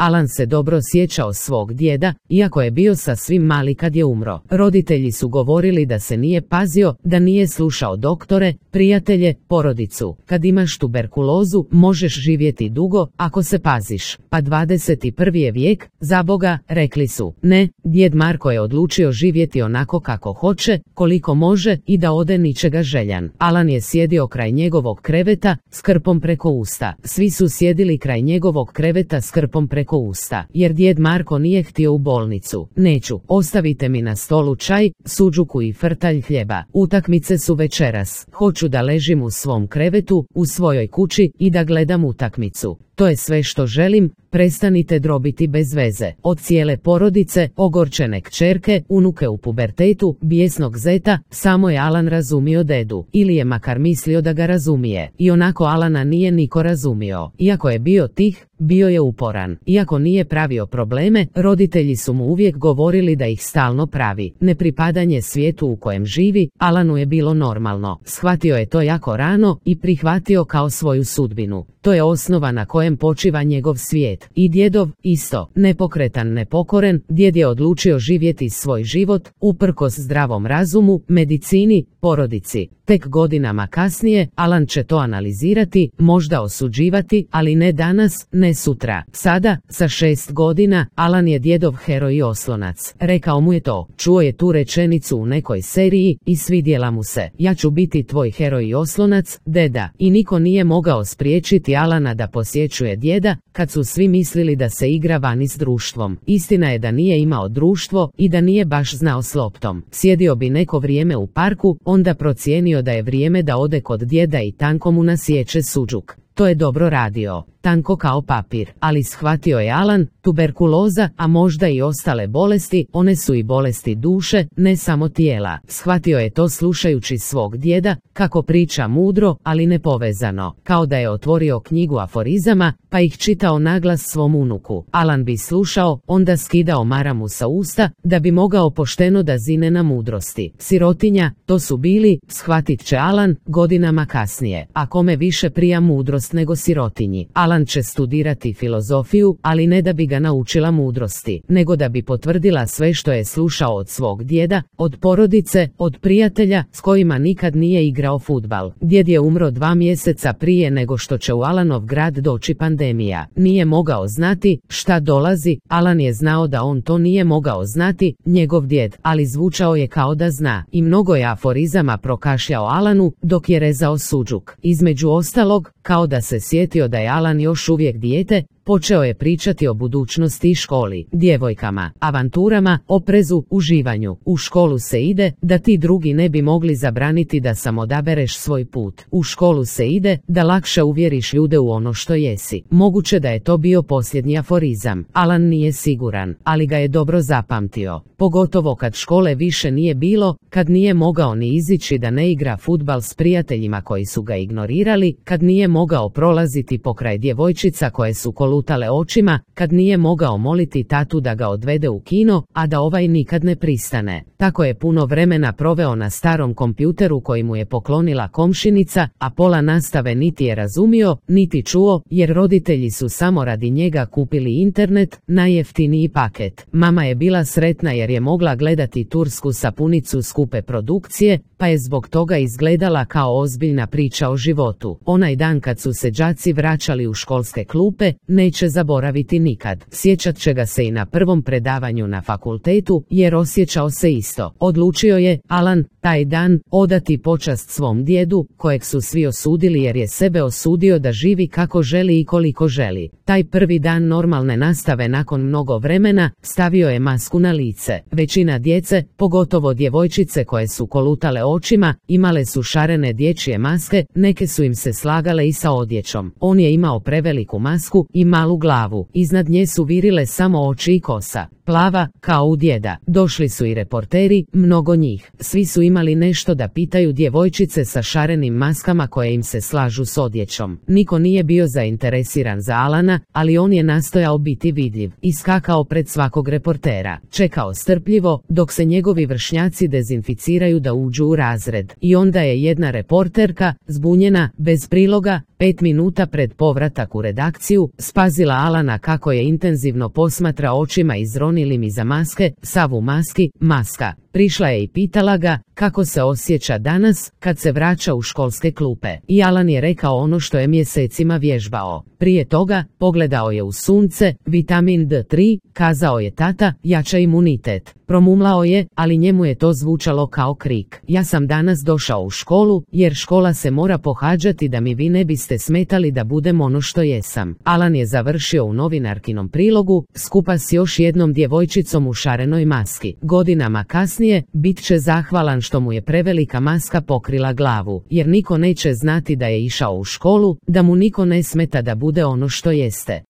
Alan se dobro sjećao svog djeda, iako je bio sasvim mali kad je umro. Roditelji su govorili da se nije pazio, da nije slušao doktore, prijatelje, porodicu. Kad imaš tuberkulozu, možeš živjeti dugo, ako se paziš. Pa 21. je vijek, za Boga, rekli su. Ne, djed Marko je odlučio živjeti onako kako hoće, koliko može i da ode ničega željan. Alan je sjedio kraj njegovog kreveta, s krpom preko usta. Svi su sjedili kraj njegovog kreveta s krpom preko usta, jer djed Marko nije htio u bolnicu. Neću, ostavite mi na stolu čaj, suđuku i frtalj hljeba. Utakmice su večeras. Hoću da ležim u svom krevetu, u svojoj kući i da gledam utakmicu. To je sve što želim, prestanite drobiti bez veze. Od cijele porodice, ogorčene kćerke, unuke u pubertetu, bijesnog zeta, samo je Alan razumio dedu. Ili je makar mislio da ga razumije. I onako Alana nije niko razumio. Iako je bio tih, bio je uporan. Iako nije pravio probleme, roditelji su mu uvijek govorili da ih stalno pravi. Nepripadanje svijetu u kojem živi, Alanu je bilo normalno. Shvatio je to jako rano i prihvatio kao svoju sudbinu. To je osnova na kojem počiva njegov svijet. I djedov, isto, nepokretan, nepokoren, djed je odlučio živjeti svoj život, uprkos zdravom razumu, medicini, porodici. Tek godinama kasnije, Alan će to analizirati, možda osuđivati, ali ne danas, ne sutra. Sada, sa 6 godina, Alan je djedov heroj i oslonac. Rekao mu je to. Čuo je tu rečenicu u nekoj seriji i svidjela mu se. Ja ću biti tvoj heroj i oslonac, deda. I niko nije mogao spriječiti Alana da posjećuje djeda, kad su svi mislili da se igra vani s društvom. Istina je da nije imao društvo i da nije baš znao s loptom. Sjedio bi neko vrijeme u parku, onda procijenio da je vrijeme da ode kod djeda i tanko mu nasječe suđuk. To je dobro radio, tanko kao papir, ali shvatio je Alan, tuberkuloza, a možda i ostale bolesti, one su i bolesti duše, ne samo tijela. Shvatio je to slušajući svog djeda, kako priča mudro, ali nepovezano, kao da je otvorio knjigu aforizama, pa ih čitao naglas svom unuku. Alan bi slušao, onda skidao maramu sa usta, da bi mogao pošteno da zine na mudrosti. Sirotinja, to su bili, shvatit će Alan, godinama kasnije. A kome više prija mudrost nego sirotinji? Alan će studirati filozofiju, ali ne da bi ga naučila mudrosti, nego da bi potvrdila sve što je slušao od svog djeda, od porodice, od prijatelja s kojima nikad nije igrao fudbal. Djed je umro 2 mjeseca prije nego što će u Alanov grad doći pandemija. Nije mogao znati šta dolazi, Alan je znao da on to nije mogao znati, njegov djed, ali zvučao je kao da zna. I mnogo je aforizama prokašljao Alanu dok je rezao suđuk. Između ostalog, kao da se sjetio da je Alan još uvijek dijete, počeo je pričati o budućnosti i školi, djevojkama, avanturama, oprezu, uživanju. U školu se ide, da ti drugi ne bi mogli zabraniti da sam odabereš svoj put. U školu se ide, da lakše uvjeriš ljude u ono što jesi. Moguće da je to bio posljednji aforizam. Alan nije siguran, ali ga je dobro zapamtio. Pogotovo kad škole više nije bilo, kad nije mogao ni izići da ne igra fudbal s prijateljima koji su ga ignorirali, kad nije mogao prolaziti pokraj djevojčica koje su kolutale očima, kad nije mogao moliti tatu da ga odvede u kino, a da ovaj nikad ne pristane. Tako je puno vremena proveo na starom kompjuteru koji mu je poklonila komšinica, a pola nastave niti je razumio, niti čuo, jer roditelji su samo radi njega kupili internet, najjeftiniji paket. Mama je bila sretna jer je mogla gledati tursku sapunicu skupe produkcije, pa je zbog toga izgledala kao ozbiljna priča o životu. Onaj dan kad su se đaci vraćali u školske klupe, neće zaboraviti nikad. Sjećat će ga se i na prvom predavanju na fakultetu, jer osjećao se isto. Odlučio je, Alan, taj dan, odati počast svom djedu, kojeg su svi osudili jer je sebe osudio da živi kako želi i koliko želi. Taj prvi dan normalne nastave nakon mnogo vremena, stavio je masku na lice. Većina djece, pogotovo djevojčice koje su kolutale očima, imale su šarene dječje maske, neke su im se slagale i sa odjećom. On je imao preveliku masku i malu glavu. Iznad nje su virile samo oči i kosa. plava, kao u djeda. Došli su i reporteri, mnogo njih. Svi su imali nešto da pitaju djevojčice sa šarenim maskama koje im se slažu s odjećom. Niko nije bio zainteresiran za Alana, ali on je nastojao biti vidljiv. Iskakao pred svakog reportera. Čekao strpljivo, dok se njegovi vršnjaci dezinficiraju da uđu u razred. I onda je jedna reporterka, zbunjena, bez priloga, 5 minuta pred povratak u redakciju, spazila Alana kako je intenzivno posmatra očima izronilim iza maske, sav u maski, maska. Prišla je i pitala ga kako se osjeća danas kad se vraća u školske klupe. I Alan je rekao ono što je mjesecima vježbao. Prije toga pogledao je u sunce, vitamin D3, kazao je tata, jača imunitet. Promumlao je, ali njemu je to zvučalo kao krik. Ja sam danas došao u školu, jer škola se mora pohađati da mi vi ne biste smetali da budem ono što jesam. Alan je završio u novinarkinom prilogu, skupa s još jednom djevojčicom u šarenoj maski. Godinama kasnije, bit će zahvalan što mu je prevelika maska pokrila glavu, jer niko neće znati da je išao u školu, da mu niko ne smeta da bude ono što jeste.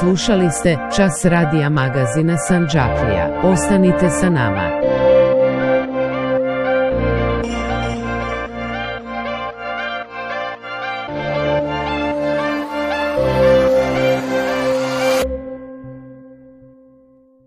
Slušali ste Čas radija magazina Sandžaklija. Ostanite sa nama.